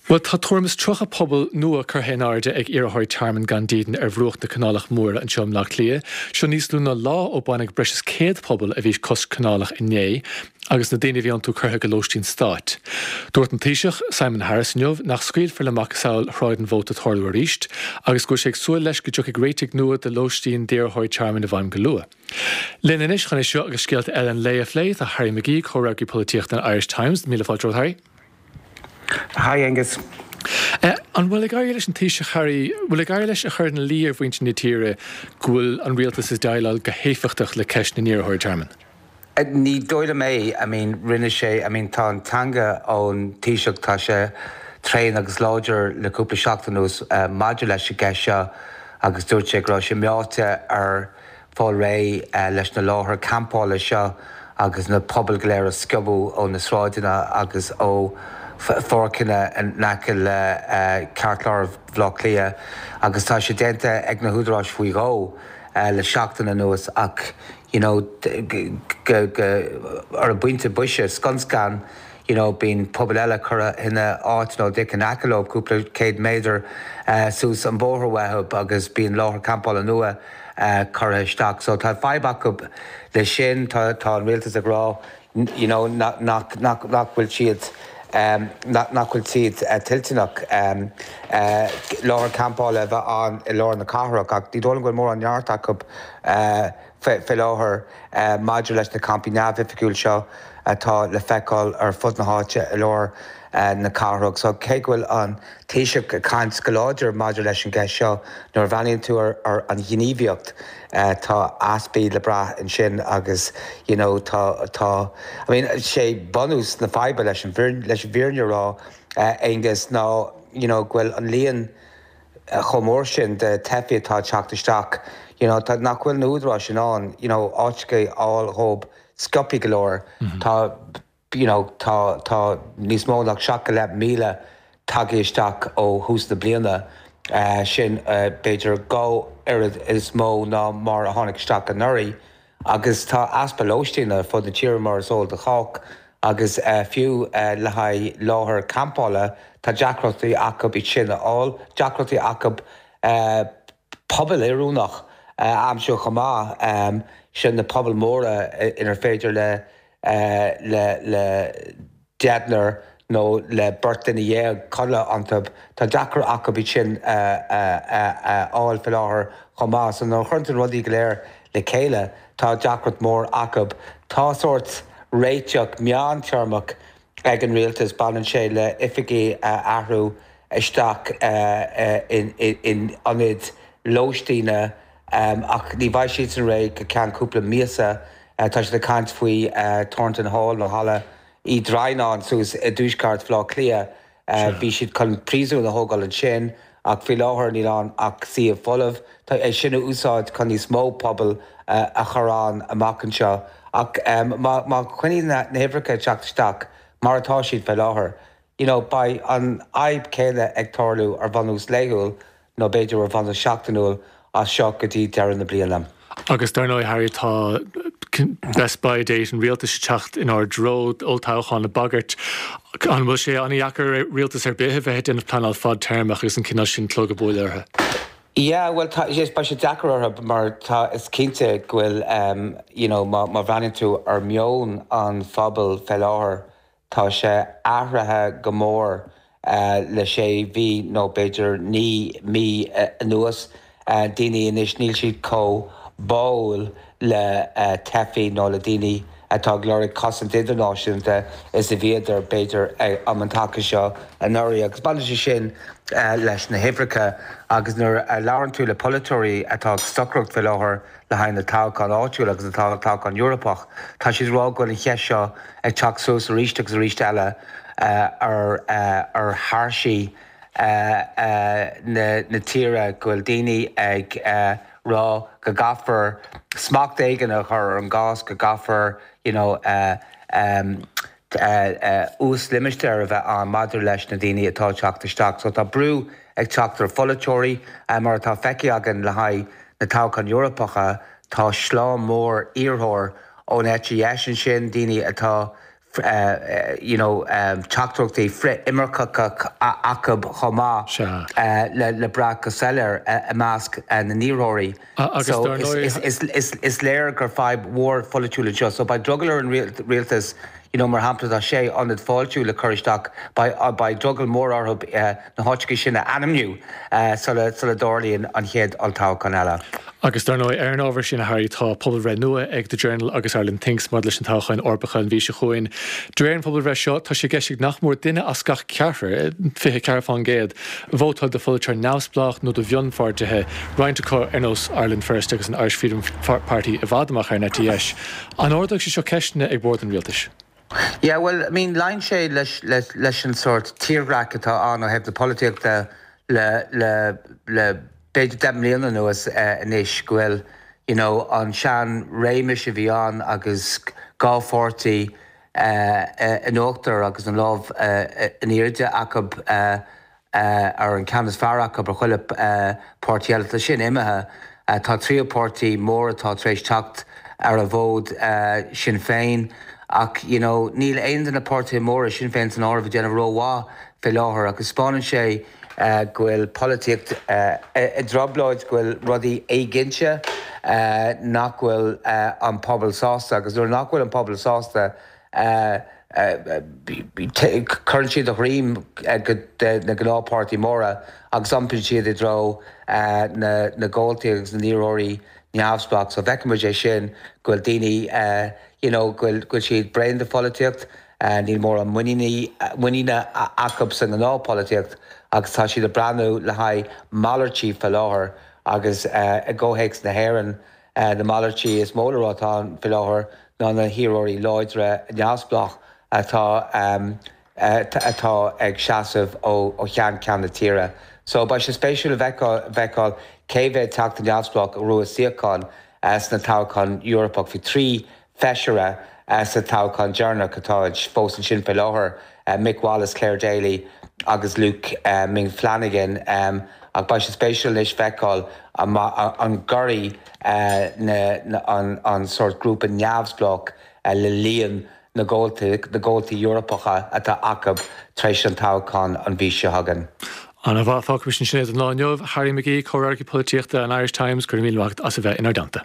Bhuel, tá tuairim is 30 puball nua curtha in airde ag iarrthóirí tearmainn gan dídean ar bhruach na Canálach Móire anseo i mBleá Cliath. Seo níos lú ná lá ó baineadh breis is 100 puball a bhí cois canálach inné agus na daoine a bhí iontu curtha go lóistín stáit. Dúirt an Taoiseach, Simon Harris inniu nach scaoilfear le macasamhail Shráid an Mhóta tarlú arís agus go bhfuil sé ag súil leis go dtiocfaidh réitigh nua do lóistín d'iarrthóirí tearmainn i bhfeidhm go luath. Linn anois chun é seo agus scéalta eile an lae a phlé tá Harry McGee, comhfhreagraí polaitíochta an Irish Times. Míle fáilte romhat, Harry. Hi Aengus. An bhfuil ag éirí leis an Taoiseach Harry, bhfuil ag éirí leis a chur ina luí ar mhuintir na tíre go bhfuil an rialtas ag déileáil go héifeachtach le ceist na n-iarrthóirí tearmainn? Ní dóigh liom é. I mean rinne sé, I mean tá an teanga ón Taoiseach, tá sé tréan agus láidir le cúpla seachtain anuas maidir leis an gceist seo agus dúirt sé go raibh sé meáite ar fáil réidh leis na láthair campála seo agus na pubaill go léir a sciobadh ó na sráideanna agus ó pháirceanna in aice le ceartlár Bhaile Átha Cliath agus tá sé déanta ag na húdaráis faoi dhó le seachtain anuas ach you know go ar an bpointe boise scun scan you know bíonn puball eile curtha ina áit nó díreach in aice leo cúpla céad méadar suas an bóthar uathu agus bíonn láthair campála nua curtha isteach. So tá fadhb acu le sin. Tá tá an rialtas ag rá you know nach nach nach nach bhfuil siad nach nach bhfuil siad toilteanach láthair campála a bheith ann i lár na cathrach ach ní dóigh liom go bhfuil mórán neart acu faoi láthair maidir leis na campaí neamhoifigiúil seo atá le feiceáil ar fud na háite i lár na cathrach. So cé go bhfuil an Taoiseach ag caint go láidir maidir leis an gceist seo, nuair a bhreathnaíonn tú ar an ghníomhaíocht, tá easpaí le brath ansin agus you know tá, tá, I mean sé bunús na faidhbe leis an leis an bhfírinne a rá, Aengus, ná you know go bhfuil an líon chomh mór sin de teifigh atá ag teacht isteach, you know, tá, nach bhfuil na húdaráis in ann, you know, áiteacha a fháil dhóibh sciobthaí go leor. Tá, you know, tá, tá níos mó ná 7,500 tagtha isteach ó thús na bliana, sin b'fhéidir dhá oiread is mó ná mar a tháinig isteach anuraidh. Agus tá easpa lóistín ar fud na tíre mar is eol do chách agus fiú le haghaidh láthair campála tá deacrachtaí acu iad sin a fháil, deacrachtaí acu puball oiriúnach a aimsiú chomh maith, sin na pubaill mhóra inar féidir le le le deichniúr nó le beirt duine dhéag codladh iontu. Tá deacracht acu iad sin a fháil faoi láthair chomh maith. So nuair a chuireann tú na rudaí go léir le chéile, tá deacracht mór acu. Tá sórt réiteach meántéarmach ag an rialtas, baineann sé le oifigí a athrú isteach in ionaid lóistíne ach ní bheidh siadsan réidh go ceann cúpla míosa. Tá siad ag caint faoi Thornton Hall nó Halla Uí Dhroighneáin suas i dtuaisceart Bhaile Átha Cliath. Bhí siad chun príosún a thógáil ansin ach faoi láthair níl ann ach suíomh folamh. Tá é sin a úsáid chun níos mó puball a chur ann amach anseo. Ach má choinníonn na huimhreacha ag teacht isteach mar atá siad faoi láthair, you know, beidh an fhadhb chéanna ag tarlú ar bhunús laethúil nó b'fhéidir ar bhunús seachtainiúil as seo go dtí deireadh na bliana. Agus dar ndóigh, Harry, tá best by date an rialtais ag teacht inár dtreo, olltoghchán ag bagairt. An bhfuil sé an-dheacair ar rialtas ar bith a bheith ag déanamh pleanáil fadtéarmach agus an cineál sin clog ag bualadh orthu? Yeah, bhuel tá, yes, beidh sé deacair orthu mar tá, is cinnte go bhfuil, you know, má, má bhreathnaíonn tú ar meon an phobail fé láthair, Tá sé athraithe go mór le sé mhí nó b'fhéidir 9 mí anuas. Daoine anois, níl siad chomh báúil le teifigh nó le daoine atá ag lorg cosaint idirnáisiúnta is a bhíodar b'fhéidir um an taca seo anuraidh. Agus baineann sé sin leis na huimhreacha agus nuair a labhrann tú le polaiteoirí atá ag stocaireacht faoi láthair, le haghaidh na toghchán áitiúil agus na toghchán Eorpach. Tá siad ag rá go bhfuil an cheist seo ag teacht suas arís agus arís eile ar ar thairsí na tíre, go bhfuil daoine ag rá go gcaithfear smacht éigin a chur ar an gcás, go gcaithfear you know uaslimistéar a bheith ann maidir leis na daoine atá ag teacht isteach. So tá brú ag teacht ar pholaiteoirí, mar atá feicthe againn le haghaidh na toghcháin Eorpacha, tá slám mór iarrthóir ón eite dheis ansin, daoine atá You know, teachtaireachtaí frith-imirceacha acu chomh maith le brath go soiléir i measc na n-iarrthóirí. So is léir gur fadhb mhór pholaitiúil anseo. So beidh drogall ar an rialtas, you know, mar shampla tá sé ionad fáiltiú le cur isteach, beidh drogall mór orthu na háiteacha sin a ainmniú sula dtarlaíonn an chéad olltoghchán eile. Agus dar ndóigh, ar an ábhar sin, a Harry, tá pobalbhreith nua ag The Journal agus Ireland Thinks maidir leis na toghcháin Eorpacha an mhí seo chugainn. De réir an phobalbhreith seo, tá sé i gceist ag nach mór duine as gach ceathrar, 24%, vótáil do pholaiteoir neamhspleách nó do mhionpháirtithe, roinnt acu ar nós Ireland First agus an Irish Freedom Party i bhfad amach ar an eite dheis. An ardóidh sé seo ceisteanna ag bord an rialtais? Yeah, bhuel, I mean, luíonn sé leis, leis, leis an sórt tírdhreach atá ann ó thaobh na polaitíochta le, le, le b'fhéidir 10 mbliana anuas anois, go bhfuil, you know, an sean-réimeas a bhí ann agus dhá pháirtí in uachtar agus an lámh in airde acu, ar an ceann is fearr acu ar chuile páirtí eile. Tá sin imithe. Tá tríú páirtí mór atá tar éis teacht ar an bhfód, Sinn Féin, ach you know níl aon de na páirtithe móra, Sinn Féin san áireamh, ag déanamh rómhaith fé láthair agus 'spáineann sé go bhfuil polaitíocht i dtrioblóid, go bhfuil rudaí éiginnte, nach bhfuil an pobal sásta agus nuair nach bhfuil an pobal sásta, Cuireann siad a dhroim go na gnáthpháirtí móra agus iompaíonn siad i dtreo na gcomhaltaí agus na n-iarrthóirí neamhspleách. So feicfidh muid é sin, go bhfuil daoine, you know, go bhfuil siad bréan de pholaitíocht, níl mórán muiníne acu sa ngnáthpholaitíocht agus tá siad ag breathnú le haghaidh malairtí faoi láthair agus i gcomhthéacs na hÉireann, Na malairtí is mó le rá atá ann faoi láthair ná na hiarrthóirí láidre neamhspleách atá atá ag seasamh ó cheann ceann na tíre. So beidh sé spéisiúil a bhfeiceáil cé mhéad teachta neamhspleách a ghnóthóidh suíochán sna toghcháin Eorpach. Bhí 3 feisire sa toghchán deireanach atá fós ansin faoi láthair, Mick Wallace, Clare Daly agus Luke Ming Flanagan, ach beidh sé spéisiúil anois feiceáil an gcuirfidh an sórt grúpa neamhspleách le líon na gcomhaltaí Eorpacha atá acu tar éis an toghcháin an mhí seo chugainn. Ana-mhaith, fágfaimis ansin é don lá inniu. Harry McGee, Comhfhreagraí Polaitíochta an Irish Times, go raibh míle maith agat as a bheith inár dteannta.